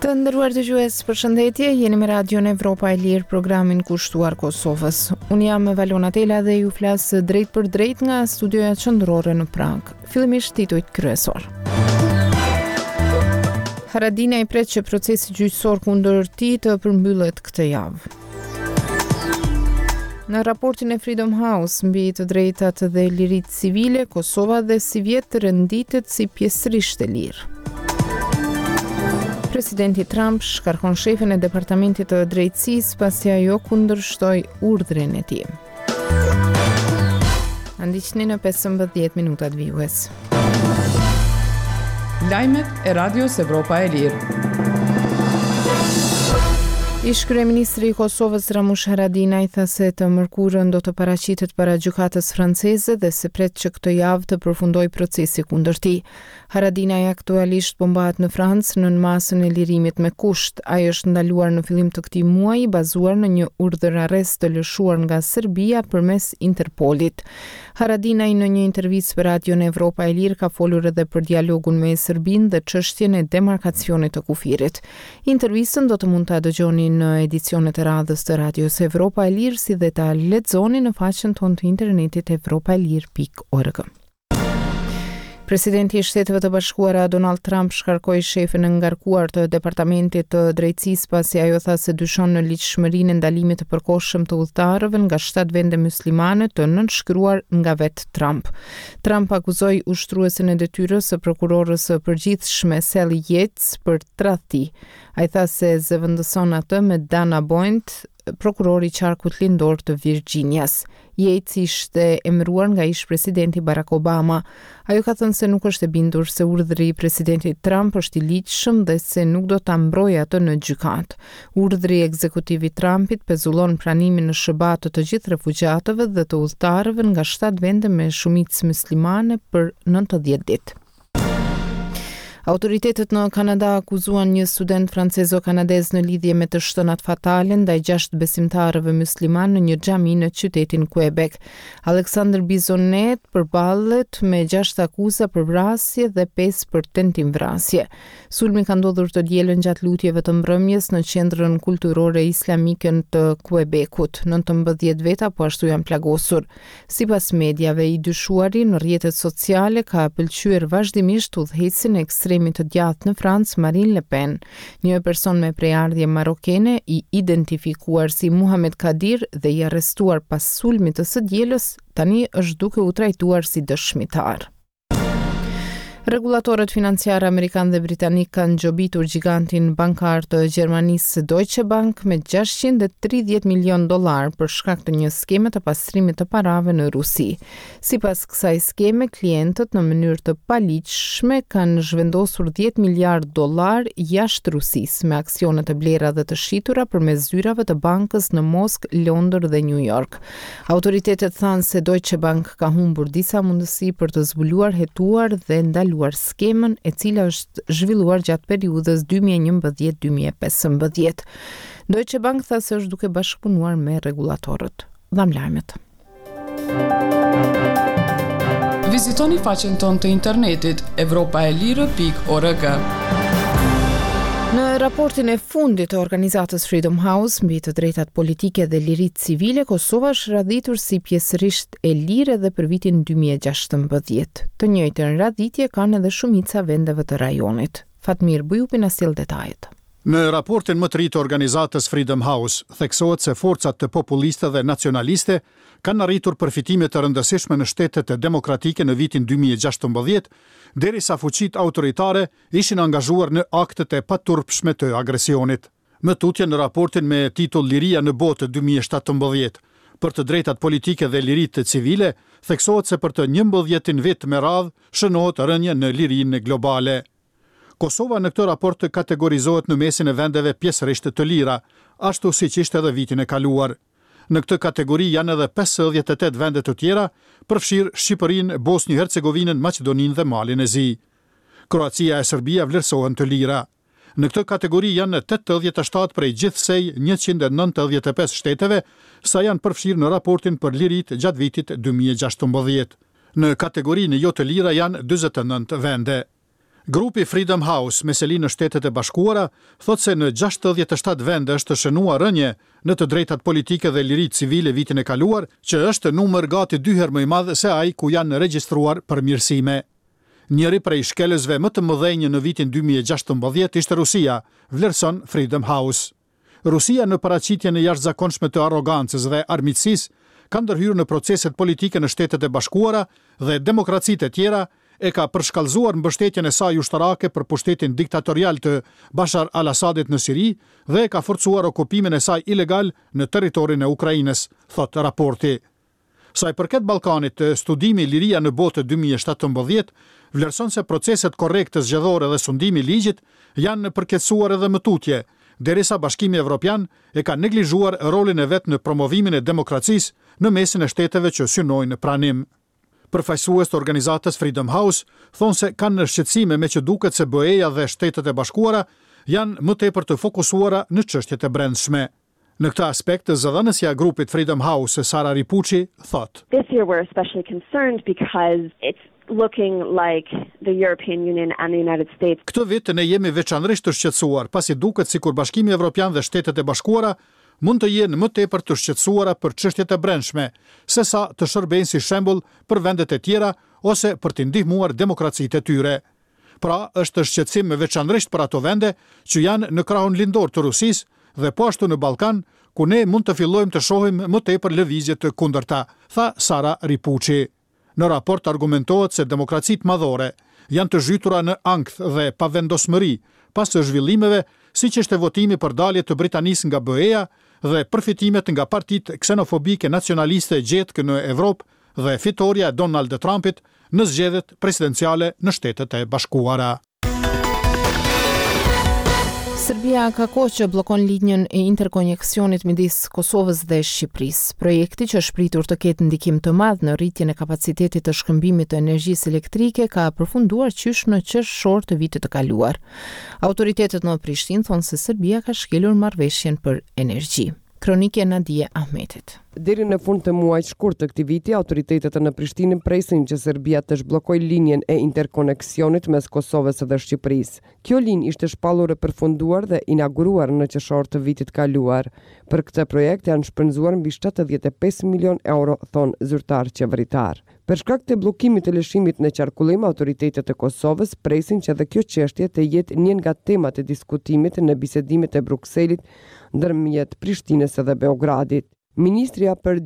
Të nderuar dëgjues, përshëndetje, jeni me Radion Evropa e Lirë, programin kushtuar Kosovës. Unë jam Valona Tela dhe ju flas drejtpërdrejt nga studioja qendrore në Pragë. Fillimisht titujt kryesorë. Haradinaj pret që procesi gjyqësor kundër tij të përmbyllet këtë javë. Në raportin e Freedom House mbi të drejtat dhe liritë civile, Kosova dhe sivjet renditet si pjesërisht e lirë. Presidenti Trump shkarkon shefen e Departamentit të Drejtësisë pasi ajo kundërshtoi urdhrin e tij. Na ndiqni në 15 minutat vijues. Lajmet e Radios Evropa e Lirë. Ish-kryeministri i Kosovës Ramush Haradinaj tha se të mërkurën do të paraqitet para gjykatës franceze dhe se pret që këtë javë të përfundojë procesi kundër tij. Haradinaj aktualisht po mbahet në Francë nën masën e lirimit me kusht. Ai është ndaluar në fillim të këtij muaji bazuar në një urdhër-arrest të lëshuar nga Serbia përmes Interpolit. Haradinaj në një intervistë për Radion Evropa e Lirë ka folur edhe për dialogun me Serbinë dhe çështjen e demarkacionit të kufirit. Intervistën do të mund ta dëgjoni në edicionet e radhës të Radios Evropa e Lirë si dhe ta lexoni në faqen tonë të internetit evropaelire.org. Presidenti i Shteteve të Bashkuara Donald Trump shkarkoi shefen e ngarkuar të Departamentit të Drejtësisë pasi ajo tha se dyshon në ligjshmërinë e ndalimit të përkohshëm të udhëtarëve nga shtatë vende myslimane të nënshkruar nga vetë Trump. Trump akuzoi ushtruesen e detyrës së prokurores së përgjithshme Sally Yates për tradhti. Ai tha se zëvendëson atë me Dana Boyd, prokuror i qarkut lindor të Virxhinias. Yates ishte emëruar nga ish-presidenti Barack Obama. Ajo ka thënë se nuk është e bindur se urdhri i presidentit Trump është i ligjshëm dhe se nuk do ta mbrojë atë në gjykatë. Urdhri ekzekutiv i Trumpit pezullon pranimin në SHBA të të gjithë refugjatëve dhe të udhëtarëve nga shtatë vende me shumicë myslimane për 90 ditë. Autoritetet në Kanada akuzuan një student francezo-kanadez në lidhje me të shtënat fatale ndaj gjashtë besimtarëve myslimanë në një xhami në qytetin Quebec. Alexander Bissonnette përballet me gjashtë akuza për vrasje dhe pesë për tentim vrasje. Sulmi ka ndodhur të dielën gjatë lutjeve të mbrëmjes në qendrën kulturore islamike të Quebecut. 19 veta po ashtu janë plagosur. Sipas mediave, i dyshuari në rrjetet sociale ka pëlqyer vazhdimisht udhëheqësin e ekstremit të djathtë në Francë, Marine Le Pen. Një person me prejardhje marokene, i identifikuar si Muhamed Kadir dhe i arrestuar pas sulmit të së dielës, tani është duke u trajtuar si dëshmitar. Rregullatorët financiarë amerikanë dhe britanikë kanë gjobitur gjigantin bankar të Gjermanisë Deutsche Bank me 630 milionë dollarë për shkak të një skeme të pastrimit të parave në Rusi. Sipas kësaj skeme, klientët në mënyrë të paligjshme kanë zhvendosur 10 miliardë dollarë jashtë Rusisë me aksione të blera dhe të shitura përmes zyrave të bankës në Moskë, Londër dhe New York. Autoritetet thanë se Deutsche Bank ka humbur disa mundësi për të zbuluar, hetuar dhe ndaluar skemën e cila është zhvilluar gjatë periudhës 2011-2015. Deutsche Bank tha se është duke bashkëpunuar me rregullatorët. Dhamë lajmet. Vizitoni faqen tonë të internetit evropaelire.org. Në raportin e fundit të organizatës Freedom House mbi të drejtat politike dhe liritë civile, Kosova është radhitur si pjesërisht e lirë edhe për vitin 2016. Të njëjtën radhitje kanë edhe shumica e vendeve të rajonit. Fatmir Bujupi na sjell detajet. Në raportin më të ri të organizatës Freedom House, theksohet se forcat populiste dhe nacionaliste kanë arritur përfitime të rëndësishme në shtetet demokratike në vitin 2016, derisa fuqitë autoritare ishin angazhuar në aktet e paturpshme të agresionit. Më tutje në raportin me titull Liria në botë 2017, për të drejtat politike dhe liritë civile, theksohet se për të njëmbëdhjetin vit me radhë shënohet rënie në lirinë globale. Kosova në këtë raport kategorizohet në mesin e vendeve pjesërisht të lira, ashtu siç ishte edhe vitin e kaluar. Në këtë kategori janë edhe 58 vende të tjera, përfshirë Shqipërinë, Bosnjë-Hercegovinën, Maqedoninë dhe Malin e Zi. Kroacia e Serbia vlerësohen të lira. Në këtë kategori janë 87 prej gjithsej 195 shteteve, sa janë përfshirë në raportin për liritë gjatë vitit 2016. Në kategorinë jo të lira janë 49 vende. Grupi Freedom House me seli në Shtetet e Bashkuara thotë se në 67 vende është shënuar rënie në të drejtat politike dhe liritë civile vitin e kaluar, që është numër gati dy herë më i madh se ai ku janë regjistruar përmirësime. Njëri prej shkelësve më të mëdhenj në vitin 2016 ishte Rusia, vlerëson Freedom House. Rusia në paraqitjen e jashtëzakonshme të arrogancës dhe armiqësisë ka ndërhyrë në proceset politike në Shtetet e Bashkuara dhe demokracitë e tjera, e ka përshkallëzuar mbështetjen e saj ushtarake për pushtetin diktatorial të Bashar al-Assadit në Siri dhe e ka forcuar okupimin e saj ilegal në territorin e Ukrainës, thotë raporti. Sa i përket Ballkanit, studimi Liria në Botë 2017 vlerëson se proceset korrekte zgjedhore dhe sundimi i ligjit janë përkeqësuar edhe më tutje, derisa Bashkimi Evropian e ka neglizhuar rolin e vet në promovimin e demokracisë në mesin e shteteve që synojnë pranim. Përfaqësues të organizatës Freedom House thonë se kanë shqetësime meqë duket se BE-ja dhe Shtetet e Bashkuara janë më tepër të fokusuara në çështjet e brendshme. Në këtë aspekt, zëdhënësja e grupit Freedom House, Sara Ripucci, thotë. This year we're especially concerned because it's looking like the European Union and the United States. Këtë vit ne jemi veçanërisht të shqetësuar, pasi duket sikur Bashkimi Evropian dhe Shtetet e Bashkuara mund të jenë më tepër të shqetësuara për çështjet e brendshme, sesa të shërbejnë si shembull për vendet e tjera ose për t'i ndihmuar demokracitë e tyre. Pra, është shqetësim veçanërisht për ato vende që janë në krahun lindor të Rusisë dhe po ashtu në Ballkan, ku ne mund të fillojmë të shohim më tepër lëvizje të kundërta, tha Sara Ripucci. Në raport argumentohet se demokracitë madhore janë të zhytura në ankth dhe pavendosmëri pas zhvillimeve siç ishte votimi për dalje të Britanisë nga BE-ja dhe përfitimet nga partitë ksenofobike nacionaliste gjetkë në Evropë dhe fitorja e Donald Trumpit në zgjedhjet presidenciale në Shtetet e Bashkuara. Serbia ka kohë që bllokon linjën e interkonjeksionit midis Kosovës dhe Shqipërisë. Projekti që është pritur të ketë ndikim të madh në rritjen e kapacitetit të shkëmbimit të energjisë elektrike ka përfunduar qysh në qershor të vitit të kaluar. Autoritetet në Prishtinë thonë se Serbia ka shkelur marrëveshjen për energji. Kronikë e Nadie Ahmetit. Deri në fund të muajit shkurt të këtij viti, autoritetet në Prishtinë presin që Serbia të zhbllokojë linjën e interkoneksionit mes Kosovës dhe Shqipërisë. Kjo linjë ishte shpallur e përfunduar dhe inauguruar në qershor të vitit kaluar. Për këtë projekt janë shpenzuar mbi 75 milionë euro, thonë zyrtarë qeveritarë. Për shkak të bllokimit të lëshimit në qarkullim, autoritetet e Kosovës presin që edhe kjo çështje të jetë një nga temat e diskutimit në bisedimet e Brukselit ndërmjet Prishtinës dhe Beogradit. Ministrja për.